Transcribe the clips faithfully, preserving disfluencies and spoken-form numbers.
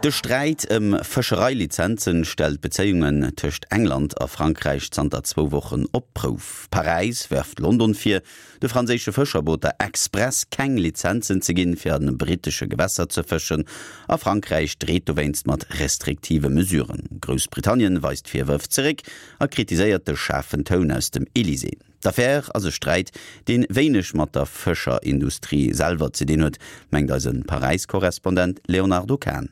De Sträit ëm Fëschereilizenzen stellt d'Bezéiungen tëscht England a Frankräich zanter zwou Wochen op d'Prouf. Paräis werft London vir, de franséische Fëscherbooter express keng Lizenzen ze ginn, fir an brittesche Gewässer ze fëschen, a Frankräich dreet dowéinst mat restriktive Mesuren. Groussbritannien weist d'Virwërf zeréck a kritiséiert de schaarfen Toun aus dem Elysée. D'Affär ass e Sträit, dee wéineg mat der Fëscherindustrie selwer ze dinn huet, mengt eise Paräis-Korrespondent Léonardo Kahn.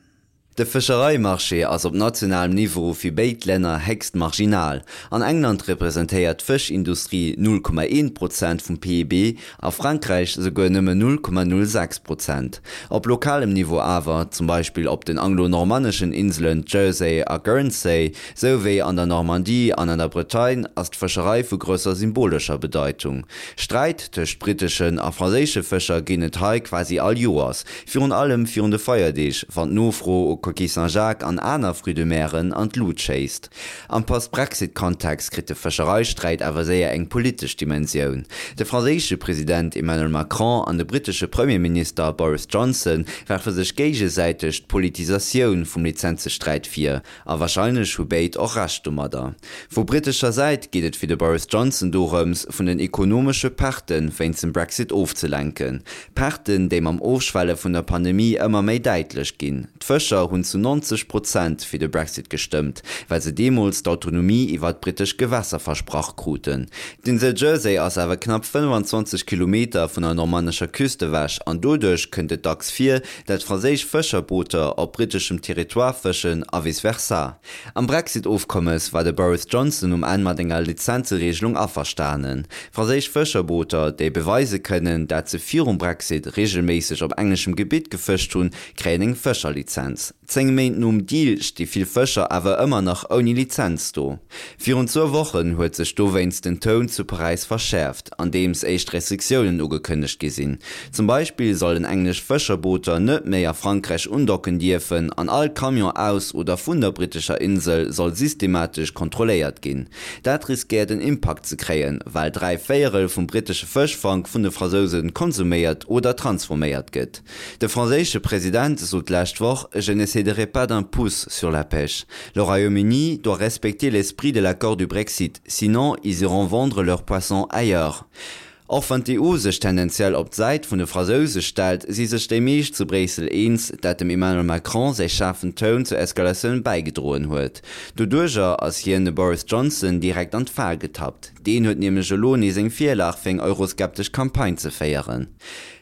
De Fëschereimarché ass op nationalem Niveau fir béid Länner héchst marginal. An England representéiert d'Fëschindustrie null Komma eent Prozent vum P I B, a Frankräich souguer nëmmen null Komma null sechs Prozent. Op lokalem Niveau awer, zum Beispill op den anglo-normanneschen Inselen Jersey a Guernsey, sou wéi an der Normandie an an der Bretagne, ass d'Fëscherei vu grousser symbolescher Bedeitung. Sträit tëscht britteschen a franséische Fëscher ginn et hei quasi all Joers, virun allem virun de Feierdeeg, wann d'Nofro u Coquille Saint-Jacques an aner Fruits de meren an d'Lut schéisst. Am Post-Brexit-Kontext kritt de Fëschereisträit awer séier eng politesch Dimensioun. De franséische President Emmanuel Macron an de brittesche Premierminister Boris Johnson werfe sech géigesäiteg d'Politisatioun vum Lizenzesträit vir, a warscheinlech hu béid och Recht domadder. Vu brittescher Säit geet et fir de Boris Johnson dorëms, vun den ekonomesche Perte wéinst dem Brexit ofzelenken. Perten, déi mam Ofschwelle vun der Pandemie ëmmer méi däitlech ginn. D'Fëscher hunn zu neunzeg Prozent fir de Brexit gestëmmt, well se deemools d'Autonomie iwwer d'brittesch Gewässer versprach kruten. D'Insel Jersey ass awer knapp fënnfanzwanzeg Kilometer vun der normannescher Küst ewech an doduerch kënnt et dacks vir, dat franséisch Fëscherbooter op britteschem Territoire fëschen a vice versa. Am Brexit-Ofkommes war de Boris Johnson um Enn mat enger Lizenzereegelung averstanen. Franséisch Fëscherbooter, déi beweise kënnen, dat se virum Brexit reegelméisseg op engleschem Gebitt gefëscht hunn, kréien eng Fëscherlizenz. Zéng Méint nom Deal sti vill Fëscher awer ëmmer nach ouni Lizenz do. Virun zwou Wochen huet sech dowéinst den Toun zu Paräis verschäerft, andeems éischt Restriktiounen ugekënnegt gi sinn. Zum Beispill sollen englesch Fëscherbooter net méi a Frankräich undocken dierfen an all Camion aus oder vun der brittescher Insel soll systematesch kontrolléiert ginn. Dat riskéiert en Impakt ze kréien, well dräi Véierel vum brittesche Fëschfank vun de Fransouse konsuméiert oder transforméiert gëtt. De franséische President sot d'lescht Woch, Je ne céderai pas d'un pouce sur la pêche. Le Royaume-Uni doit respecter l'esprit de l'accord du Brexit, sinon ils iront vendre leurs poissons ailleurs. Och wann d'E U sech tendenziell op d'Säit vun de Fransouse stellt, si sech déi meescht zu Bréissel eens, dat dem Emmanuel Macron säi schaarfen Toun zur Eskalatioun bäigedroen huet. Doduerjer ass hien de Boris Johnson direkt an d'Fal getappt. Deen huet nämlech elo nees eng Virlag fir eng euroskeptesch Campagne ze féieren.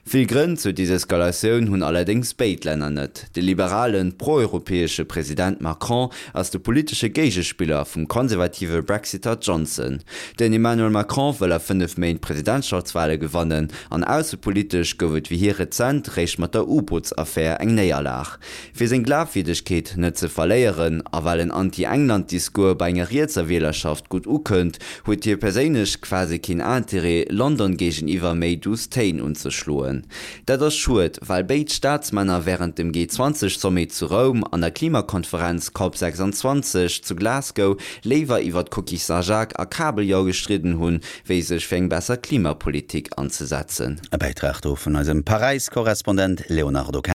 Vill Grënn zur Deseskalatioun hunn allerdéngs béid Länner net. De liberalen, pro-europäesche President Macron ass de politesche Géigespiller vum konservative Brexiter Johnson. Den Emmanuel Macron wëll a fënnef Méint d'Presidentschaftswale gewannen an aussepolitesch gouf et fir hie rezent réischt mat der U-Bootsaffär eng Néierlag. Fir seng Glafwierdegkeet net ze verléieren a well en Anti-England-Discours bei enger rietser Wielerschaft gutt ukënnt, huet hie perséinlech quasi keen Interêt, London géigeniwwer méi duuss Téin unzeschloen. Dat ass schued, well béid Staatsmänner wärend dem G zwanzeg Sommet zu Roum an der Klimakonferenz Cop sechsanzwanzeg zu Glasgow léiwer iwwer d'Coquille Saint-Jacques a Kabeljau gestridden hunn, wéi sech fir eng besser Klimapolitik anzesetzen. E Bäitrag do vun eisem Paräis-Korrespondent Léonardo Kahn.